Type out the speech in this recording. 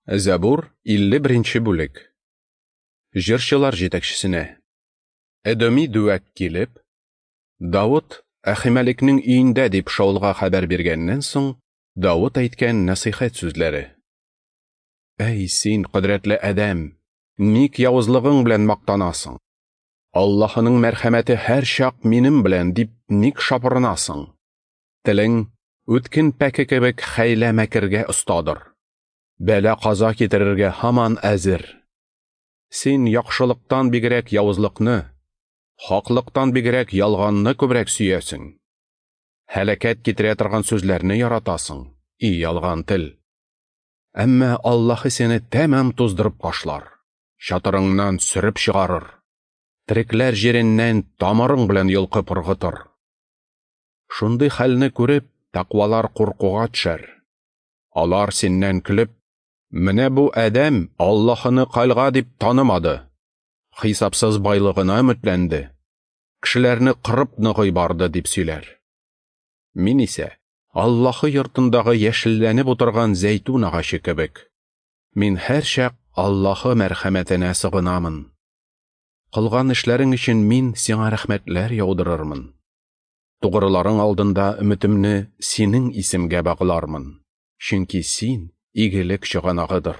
Зәбур, 51 нче бүлек. Җырчылар җитәкчесенә. Эдоми Дүәк килеп, Давыт Әхимәлекнең өендә дип Шаулга хәбәр биргәннән соң, Давыт әйткән нәсыйхәт сүзләре. Әй, син, кодрәтле адәм, ник явызлыгың белән мактанасың? Аллаһының мәрхәмәте һәрчак минем белән дип ник шапырынасың? Телең үткен пәке кебек хәйлә-мәкергә остадыр. Бәла-каза китерергә һаман әзер. Син яхшылыктан бигрәк явызлыкны, хаклыктан бигрәк ялганны күбрәк сөясең. Һәлакәт китерә торган сүзләрне яратасың, и ялган тел. Әмма Аллаһы сине тәмам туздырып ташлар, чатырыңнан сөреп чыгарыр, терекләр җиреннән тамырың белән йолкып ыргытыр. Шундый хәлне күреп, тәкъвалар куркуга төшәр. Алар синнән көлеп, менә бу адәм Аллаһыны кальга дип танымады, хисапсыз байлыгына өметләнде, кешеләрне кырып ныгый барды дип сөйләр. Мин исә Аллаһы йортындагы яшелләнеп утырган зәйтүн агачы кебек. Мин һәрчак Аллаһы мәрхәмәтенә сыгынамын. Кылган эшләрең өчен мин сиңа рәхмәтләр яудырырмын. Тугрыларың алдында өметемне синең исемгә баглармын, чөнки син игелек чыганагыдыр.